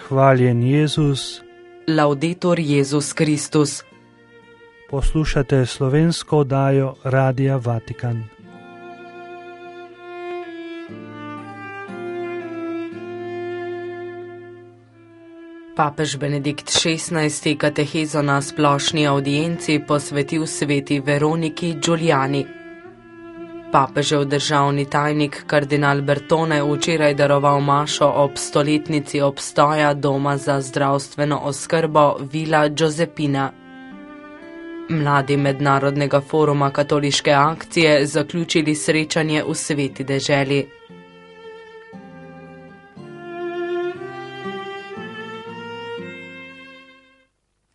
Hvaljen Jezus. Laudetur Jezus Kristus. Poslušate slovensko oddajo Radia Vatikan. Papež Benedikt XVI. Katehezo na splošni avdienci posvetil sveti Veroniki Giuliani. Papežev državni tajnik kardinal Bertone včeraj daroval mašo ob stoletnici obstoja doma za zdravstveno oskrbo Villa Giuseppina. Mladi mednarodnega foruma katoliške akcije zaključili srečanje v sveti deželi.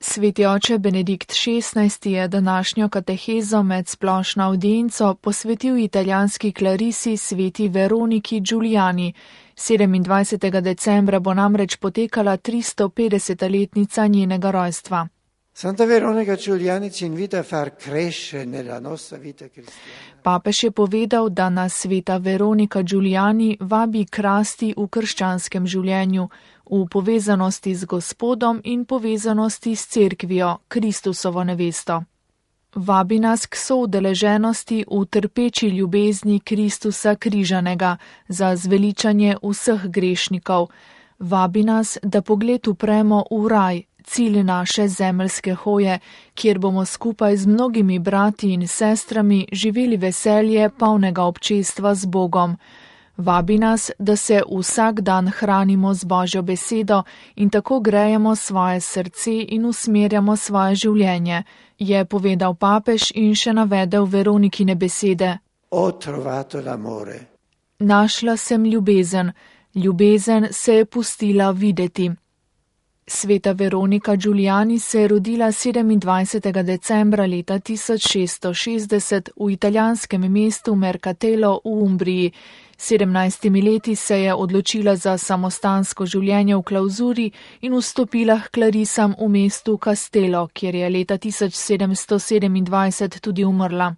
Sveti oče Benedikt XVI. Je današnjo katehezo med splošno avdienco posvetil italijanski klarisi sveti Veroniki Giuliani. 27. decembra bo namreč potekala 350-letnica njenega rojstva. Santa Veronica Giuliani ci invita a far crescere nella nostra vita cristiana. Papež je povedal, da nas sveta Veronika Giuliani vabi k rasti v krščanskem življenju, v povezanosti z Gospodom in povezanosti s cerkvijo, Kristusovo nevesto. Vabi nas k soudeleženosti v trpeči ljubezni Kristusa križanega za zveličanje vseh grešnikov. Vabi nas, da pogled upremo v raj, cilj naše zemeljske hoje, kjer bomo skupaj z mnogimi brati in sestrami živeli veselje polnega občestva z Bogom. Vabi nas, da se vsak dan hranimo z Božjo besedo in tako grejemo svoje srce in usmerjamo svoje življenje, je povedal papež in še navedel Veronikine besede. Ho trovato l'amore. Našla sem ljubezen, ljubezen se je pustila videti. Sveta Veronika Giuliani se je rodila 27. decembra leta 1660 v italijanskem mestu Mercatello v Umbriji. 17 leti se je odločila za samostansko življenje v klauzuri in vstopila k klarisam v mestu Castello, kjer je leta 1727 tudi umrla.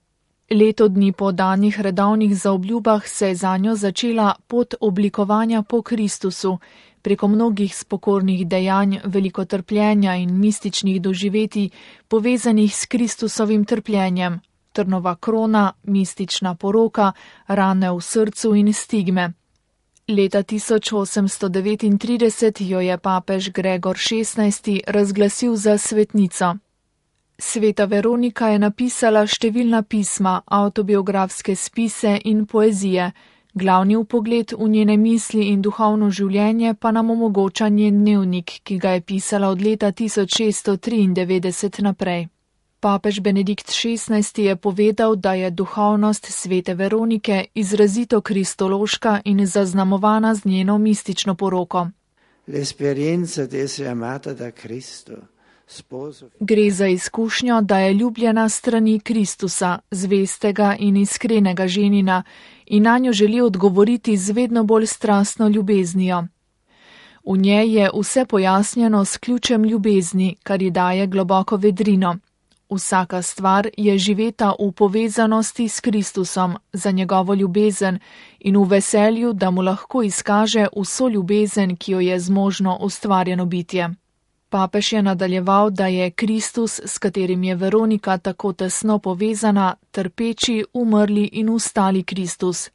Leto dni po danih redovnih zaobljubah se je zanjo začela pot oblikovanja po Kristusu. Preko mnogih spokornih dejanj, veliko trpljenja in mističnih doživetij, povezanih s Kristusovim trpljenjem, trnova krona, mistična poroka, rane v srcu in stigme. Leta 1839 jo je papež Gregor XVI. Razglasil za svetnico. Sveta Veronika je napisala številna pisma, avtobiografske spise in poezije. Glavni vpogled v njene misli in duhovno življenje pa nam omogoča njen dnevnik, ki ga je pisala od leta 1693 naprej. Papež Benedikt XVI. Je povedal, da je duhovnost svete Veronike izrazito kristološka in zaznamovana z njeno mistično poroko. L'esperienza di essere amata da Cristo. Gre za izkušnjo, da je ljubljena strani Kristusa, zvestega in iskrenega ženina, in nanjo želi odgovoriti z vedno bolj strastno ljubeznijo. V njej je vse pojasnjeno s ključem ljubezni, kar ji daje globoko vedrino. Vsaka stvar je živeta v povezanosti s Kristusom za njegovo ljubezen in v veselju, da mu lahko izkaže vso ljubezen, ki jo je zmožno ustvarjeno bitje. Papež je nadaljeval, da je Kristus, s katerim je Veronika tako tesno povezana, trpeči, umrli in vstali Kristus.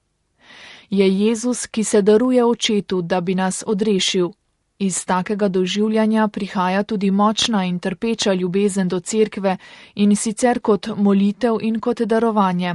Je Jezus, ki se daruje očetu, da bi nas odrešil. Iz takega doživljanja prihaja tudi močna in trpeča ljubezen do cerkve in sicer kot molitev in kot darovanje.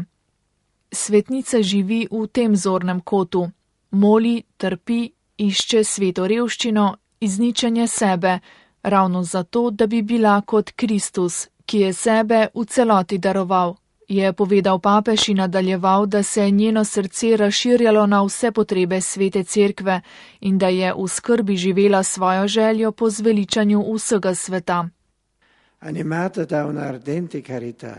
Svetnica živi v tem zornem kotu. Moli, trpi, išče sveto revščino, izničenje sebe, ravno zato, da bi bila kot Kristus, ki je sebe v celoti daroval, je povedal papež in nadaljeval, da se je njeno srce razširjalo na vse potrebe svete cerkve in da je v skrbi živela svojo željo po zveličanju vsega sveta. Animata da una ardente carità,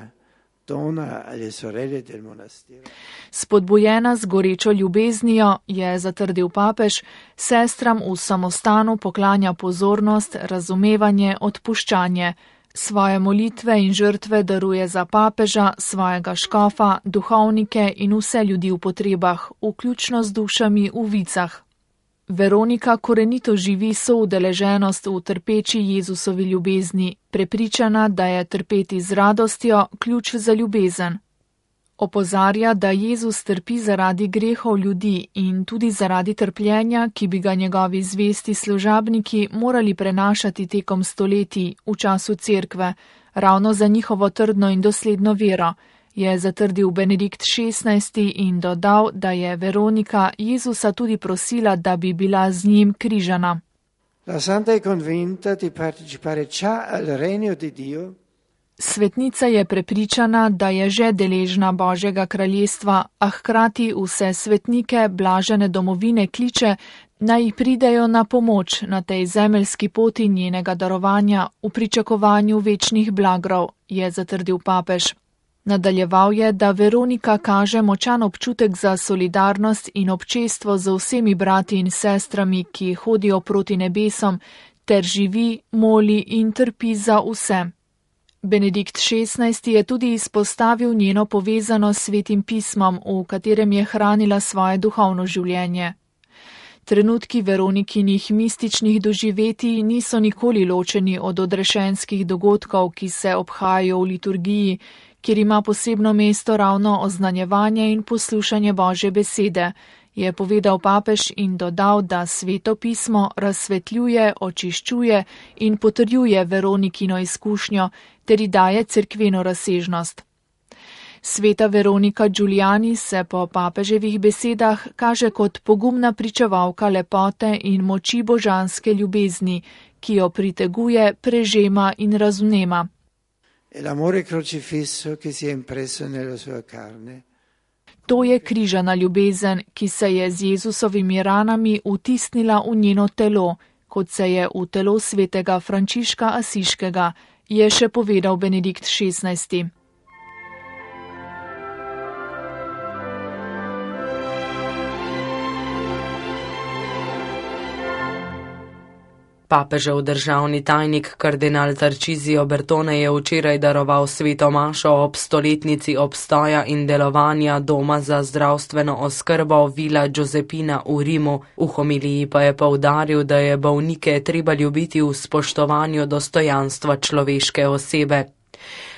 dona alle sorelle del monastero. Spodbujena z gorečo ljubeznijo, je zatrdil papež, sestram v samostanu poklanja pozornost, razumevanje, odpuščanje. Svoje molitve in žrtve daruje za papeža, svojega škofa, duhovnike in vse ljudi v potrebah, vključno z dušami v vicah. Veronika korenito živi soudeleženost v trpeči Jezusovi ljubezni, prepričana, da je trpeti z radostjo ključ za ljubezen. Opozarja, da Jezus trpi zaradi grehov ljudi in tudi zaradi trpljenja, ki bi ga njegovi zvesti služabniki morali prenašati tekom stoletij v času cerkve, ravno za njihovo trdno in dosledno vero, je zatrdil Benedikt XVI in dodal, da je Veronika Jezusa tudi prosila, da bi bila z njim križana. La santa è convinta di partecipare già al regno di Dio. Svetnica je prepričana, da je že deležna Božjega kraljestva, a hkrati vse svetnike blažene domovine kliče, naj pridejo na pomoč na tej zemeljski poti njenega darovanja v pričakovanju večnih blagrov, je zatrdil papež. Nadaljeval je, da Veronika kaže močan občutek za solidarnost in občestvo z vsemi brati in sestrami, ki hodijo proti nebesom, ter živi, moli in trpi za vse. Benedikt XVI je tudi izpostavil njeno povezanost s Svetim pismom, v katerem je hranila svoje duhovno življenje. Trenutki Veronikinih mističnih doživetij niso nikoli ločeni od odrešenskih dogodkov, ki se obhajajo v liturgiji, kjer ima posebno mesto ravno oznanjevanje in poslušanje Božje besede, je povedal papež in dodal, da Sveto pismo razsvetljuje, očiščuje in potrjuje Veronikino izkušnjo ter ji daje cerkveno razsežnost. Sveta Veronika Giuliani se po papeževih besedah kaže kot pogumna pričevalka lepote in moči božanske ljubezni, ki jo priteguje, prežema in razvnema. L'amore crocifisso che si è impresso nella sua carne. To je križana ljubezen, ki se je z Jezusovimi ranami vtisnila v njeno telo, kot se je v telo svetega Frančiška Asiškega, je še povedal Benedikt XVI. Papežev državni tajnik kardinal Tarcisio Bertone je včeraj daroval sveto mašo ob stoletnici obstoja in delovanja Doma za zdravstveno oskrbo Villa Giuseppina v Rimu. V homiliji pa je poudaril, da je bolnike treba ljubiti v spoštovanju dostojanstva človeške osebe.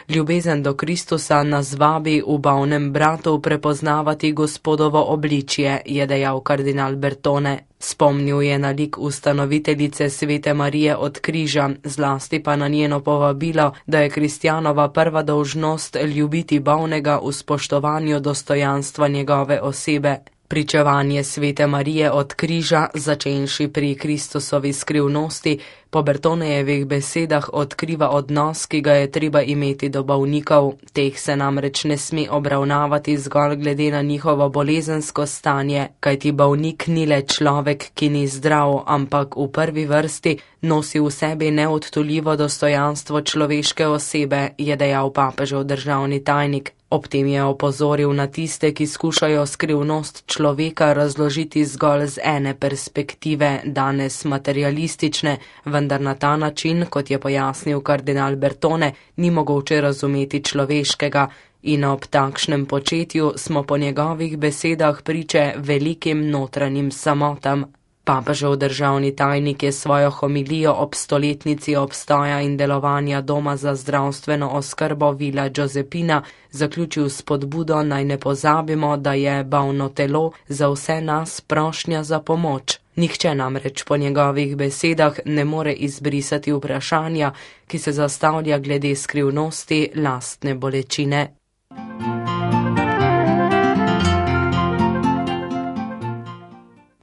Ljubezen do Kristusa nas vabi v bolnem bratu prepoznavati Gospodovo obličje, je dejal kardinal Bertone. Spomnil je na lik ustanoviteljice Svete Marije od križa, zlasti pa na njeno povabilo, da je kristjanova prva dolžnost ljubiti bolnega v spoštovanju dostojanstva njegove osebe. Pričevanje Svete Marije od križa, začenši pri Kristusovi skrivnosti, po Bertonejevih besedah odkriva odnos, ki ga je treba imeti do bolnikov. Teh se namreč ne sme obravnavati zgolj glede na njihovo bolezensko stanje, kajti bolnik ni le človek, ki ni zdrav, ampak v prvi vrsti nosi v sebi neodtuljivo dostojanstvo človeške osebe, je dejal papežev državni tajnik. Ob tem je opozoril na tiste, ki skušajo skrivnost človeka razložiti zgolj z ene perspektive, danes materialistične, vendar na ta način, kot je pojasnil kardinal Bertone, ni mogoče razumeti človeškega in ob takšnem početju smo po njegovih besedah priče velikim notranjim samotam. Papežev državni tajnik je svojo homilijo ob stoletnici obstoja in delovanja Doma za zdravstveno oskrbo Villa Giuseppina zaključil s spodbudo, naj ne pozabimo, da je bolno telo za vse nas prošnja za pomoč. Nihče namreč po njegovih besedah ne more izbrisati vprašanja, ki se zastavlja glede skrivnosti lastne bolečine.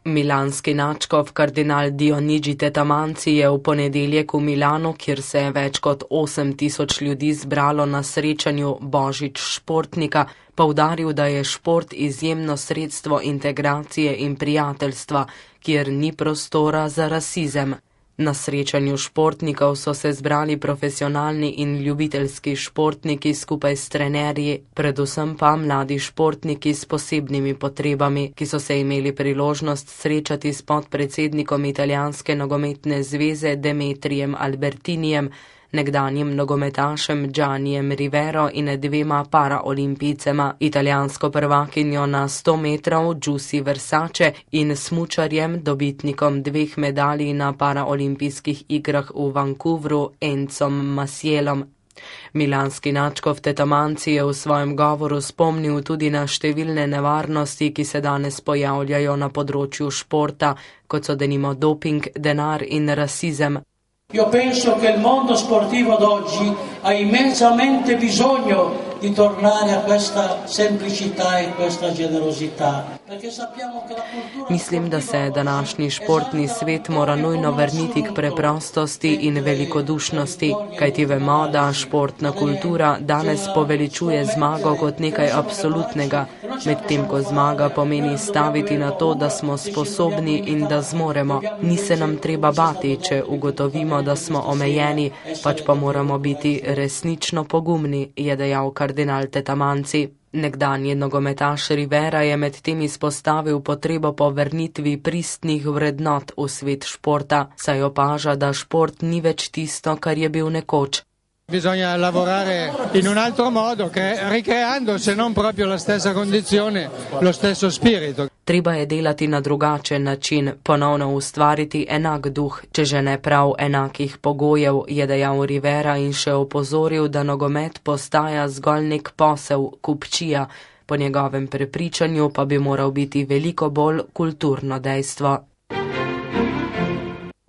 Milanski nadškof kardinal Dionigi Tetamanci je v ponedeljek v Milanu, kjer se je več kot 8.000 ljudi zbralo na srečanju Božič športnika, poudaril, da je šport izjemno sredstvo integracije in prijateljstva, kjer ni prostora za rasizem. Na srečanju športnikov so se zbrali profesionalni in ljubiteljski športniki skupaj s trenerji, predvsem pa mladi športniki s posebnimi potrebami, ki so se imeli priložnost srečati s podpredsednikom italijanske nogometne zveze Demetrijem Albertinijem nekdanjim nogometašem Giannijem Rivero in 2 paraolimpijcema, italijansko prvakinjo na 100 metrov Giussi Versace in smučarjem, dobitnikom 2 medalj na paraolimpijskih igrah v Vancouvru, Encom Masielom. Milanski nadškof Tetamanci je v svojem govoru spomnil tudi na številne nevarnosti, ki se danes pojavljajo na področju športa, kot so denimo doping, denar in rasizem. Io penso che il mondo sportivo d'oggi ha immensamente bisogno di tornare a questa semplicità e questa generosità. Mislim, da se današnji športni svet mora nujno vrniti k preprostosti in velikodušnosti, kajti vemo, da športna kultura danes poveličuje zmago kot nekaj absolutnega, medtem ko zmaga pomeni staviti na to, da smo sposobni in da zmoremo. Ni se nam treba bati, če ugotovimo, da smo omejeni, pač pa moramo biti resnično pogumni, je dejal kardinal Tetamanci. Nekdanji nogometaš Rivera je med tem izpostavil potrebo po vrnitvi pristnih vrednot v svet športa, saj opaža, da šport ni več tisto, kar je bil nekoč. Bisogna lavorare in un altro modo, ricreando se non proprio la stessa condizione, lo stesso spirito. Treba je delati na drugačen način, ponovno ustvariti enak duh, če že ne prav enakih pogojev, je dejal Rivera in še opozoril, da nogomet postaja zgolj nek posel, kupčija, po njegovem prepričanju pa bi moral biti veliko bolj kulturno dejstvo.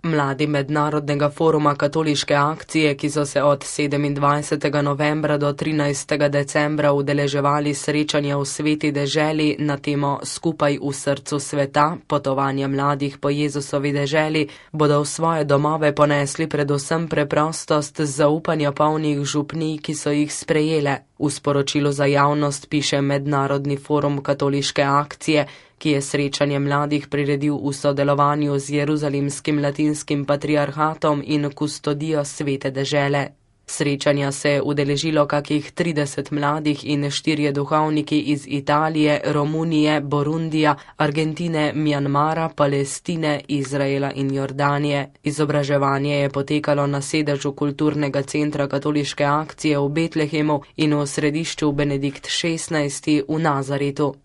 Mladi Mednarodnega foruma katoliške akcije, ki so se od 27. novembra do 13. decembra udeleževali srečanja v Sveti deželi na temo Skupaj v srcu sveta, potovanja mladih po Jezusovi deželi, bodo v svoje domove ponesli predvsem preprostost zaupanja polnih župnij, ki so jih sprejele. V sporočilu za javnost piše Mednarodni forum katoliške akcije, ki je srečanje mladih priredil v sodelovanju z Jeruzalemskim latinskim patriarhatom in kustodijo Svete dežele. Srečanja se je udeležilo kakih 30 mladih in 4 duhovniki iz Italije, Romunije, Burundija, Argentine, Mjanmara, Palestine, Izraela in Jordanije. Izobraževanje je potekalo na sedežu kulturnega centra katoliške akcije v Betlehemu in v središču Benedikt XVI v Nazaretu.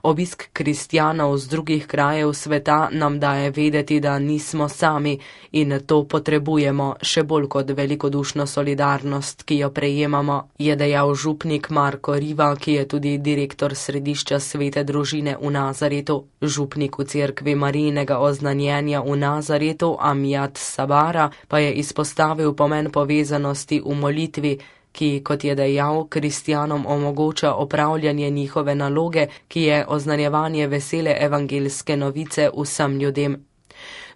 Obisk kristjanov z drugih krajev sveta nam daje vedeti, da nismo sami in to potrebujemo še bolj kot velikodušno solidarnost, ki jo prejemamo, je dejal župnik Marko Riva, ki je tudi direktor središča Svete družine v Nazaretu. Župnik v cerkvi Marijinega oznanjenja v Nazaretu, Amjad Sabara, pa je izpostavil pomen povezanosti v molitvi, ki, kot je dejal, kristjanom omogoča opravljanje njihove naloge, ki je oznanjevanje vesele evangelske novice vsem ljudem.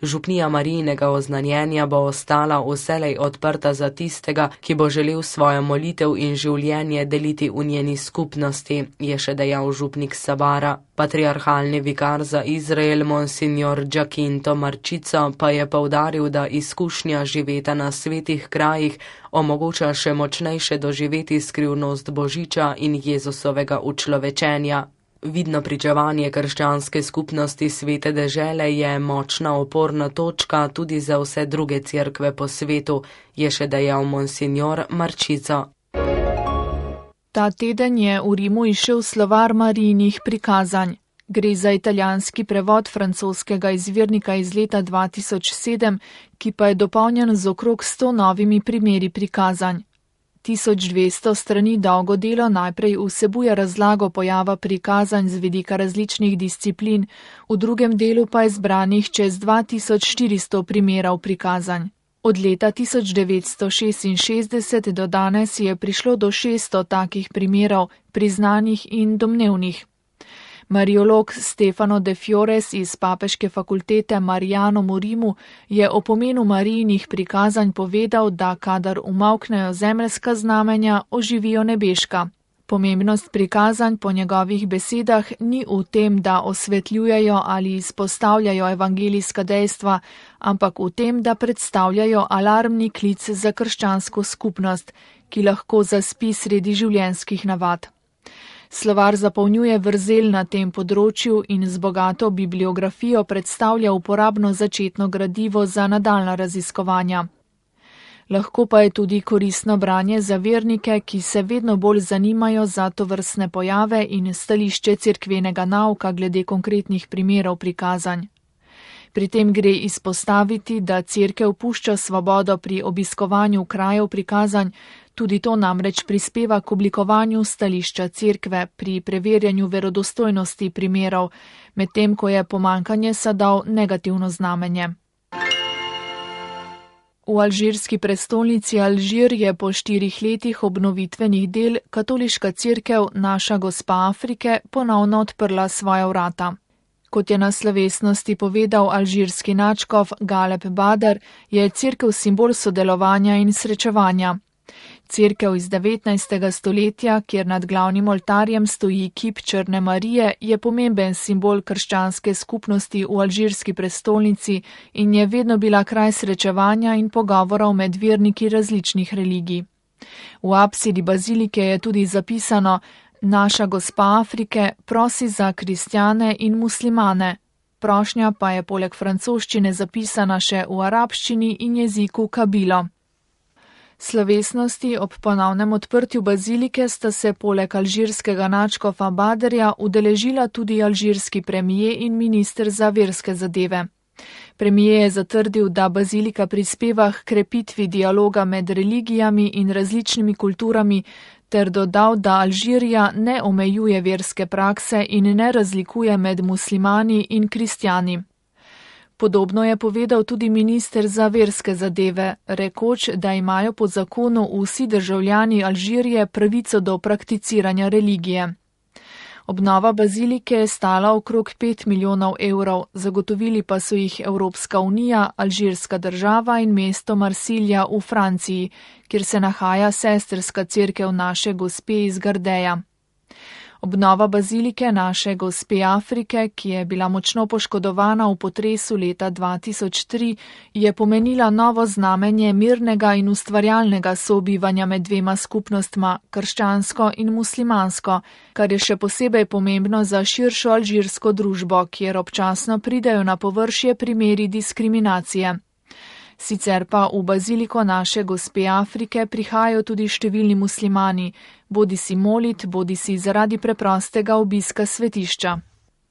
Župnija Marijinega oznanjenja bo ostala vselej odprta za tistega, ki bo želel svojo molitev in življenje deliti v njeni skupnosti, je še dejal župnik Sabara. Patriarhalni vikar za Izrael, monsignor Giacinto Marčico, pa je poudaril, da izkušnja živeta na svetih krajih omogoča še močnejše doživeti skrivnost Božiča in Jezusovega učlovečenja. Vidno pričevanje krščanske skupnosti Svete dežele je močna oporna točka tudi za vse druge cerkve po svetu, je še dejal monsignor Marčico. Ta teden je v Rimu izšel slovar Marijinih prikazanj. Gre za italijanski prevod francoskega izvirnika iz leta 2007, ki pa je dopolnjen z okrog 100 novimi primeri prikazanj. 1200 strani dolgo delo najprej vsebuje razlago pojava prikazanj z vidika različnih disciplin, v drugem delu pa je zbranih čez 2400 primerov prikazanj. Od leta 1966 do danes je prišlo do 600 takih primerov, priznanih in domnevnih. Mariolog Stefano De Fiores iz Papeške fakultete Marijanum v Rimu je o pomenu Marijinih prikazanj povedal, da kadar umavknejo zemeljska znamenja, oživijo nebeška. Pomembnost prikazanj po njegovih besedah ni v tem, da osvetljujejo ali izpostavljajo evangelijska dejstva, ampak v tem, da predstavljajo alarmni klic za krščansko skupnost, ki lahko zaspi sredi življenjskih navad. Slovar zapolnjuje vrzel na tem področju in z bogato bibliografijo predstavlja uporabno začetno gradivo za nadaljnja raziskovanja. Lahko pa je tudi koristno branje za vernike, ki se vedno bolj zanimajo za tovrstne pojave in stališče cerkvenega nauka glede konkretnih primerov prikazanj. Pri tem gre izpostaviti, da cerkev pušča svobodo pri obiskovanju krajev prikazanj, tudi to namreč prispeva k oblikovanju stališča cerkve pri preverjanju verodostojnosti primerov, medtem ko je pomanjkanje sadov negativno znamenje. V alžirski prestolnici Alžir je po 4 letih obnovitvenih del katoliška cerkev Naša Gospa Afrike ponovno odprla svoja vrata. Kot je na slovesnosti povedal alžirski nadškof Galeb Badr, je cerkev simbol sodelovanja in srečevanja. Cerkev iz 19. stoletja, kjer nad glavnim oltarjem stoji kip Črne Marije, je pomemben simbol krščanske skupnosti v alžirski prestolnici in je vedno bila kraj srečevanja in pogovorov med verniki različnih religij. V apsidi bazilike je tudi zapisano: Naša Gospa Afrike prosi za kristjane in muslimane. Prošnja pa je poleg francoščine zapisana še v arabščini in jeziku kabilo. Slovesnosti ob ponovnem odprtju bazilike sta se poleg alžirskega nadškofa Badrja udeležila tudi alžirski premijer in minister za verske zadeve. Premijer je zatrdil, da bazilika prispeva k krepitvi dialoga med religijami in različnimi kulturami, ter dodal, da Alžirija ne omejuje verske prakse in ne razlikuje med muslimani in kristjani. Podobno je povedal tudi minister za verske zadeve, rekoč, da imajo po zakonu vsi državljani Alžirije pravico do prakticiranja religije. Obnova bazilike je stala okrog 5 milijonov evrov, zagotovili pa so jih Evropska unija, alžirska država in mesto Marsilja v Franciji, kjer se nahaja sestrska cerkev Naše Gospe iz Gardeja. Obnova bazilike Naše Gospe Afrike, ki je bila močno poškodovana v potresu leta 2003, je pomenila novo znamenje mirnega in ustvarjalnega sobivanja med dvema skupnostma, krščansko in muslimansko, kar je še posebej pomembno za širšo alžirsko družbo, kjer občasno pridejo na površje primeri diskriminacije. Sicer pa v baziliko Naše Gospe Afrike prihajajo tudi številni muslimani, bodisi molit, bodisi zaradi preprostega obiska svetišča.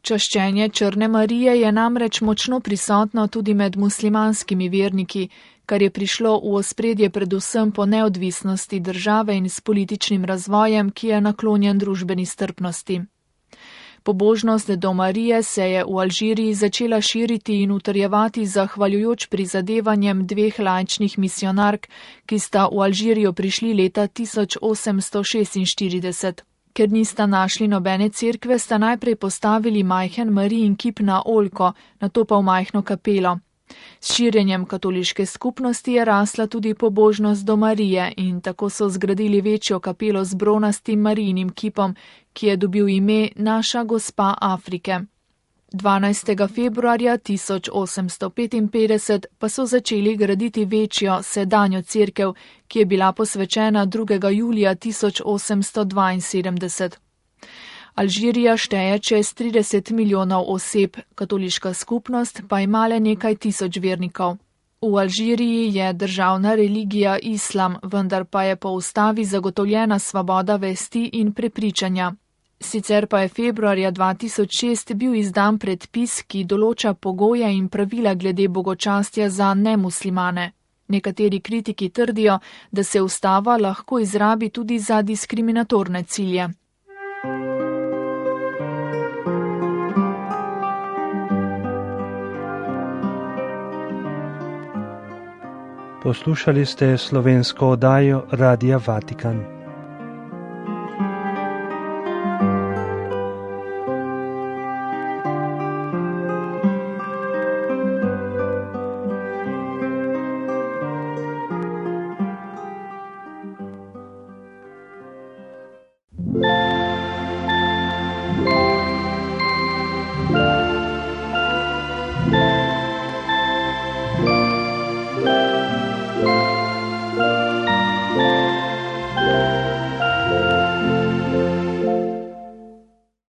Čaščenje Črne Marije je namreč močno prisotno tudi med muslimanskimi verniki, kar je prišlo v ospredje predvsem po neodvisnosti države in s političnim razvojem, ki je naklonjen družbeni strpnosti. Pobožnost do Marije se je v Alžiriji začela širiti in utrjevati zahvaljujoč prizadevanjem 2 laičnih misionark, ki sta v Alžirijo prišli leta 1846. Ker nista našli nobene cerkve, sta najprej postavili majhen Marijin kip na oljko, nato pa v majhno kapelo. S širjenjem katoliške skupnosti je rasla tudi pobožnost do Marije in tako so zgradili večjo kapelo z bronastim Marijinim kipom, ki je dobil ime Naša Gospa Afrike. 12. februarja 1855 pa so začeli graditi večjo sedanjo cerkev, ki je bila posvečena 2. julija 1872. Alžirija šteje čez 30 milijonov oseb, katoliška skupnost pa ima le nekaj tisoč vernikov. V Alžiriji je državna religija islam, vendar pa je po ustavi zagotovljena svoboda vesti in prepričanja. Sicer pa je februarja 2006 bil izdan predpis, ki določa pogoje in pravila glede bogočastja za nemuslimane. Nekateri kritiki trdijo, da se ustava lahko izrabi tudi za diskriminatorne cilje. Poslušali ste slovensko oddajo Radia Vatikan.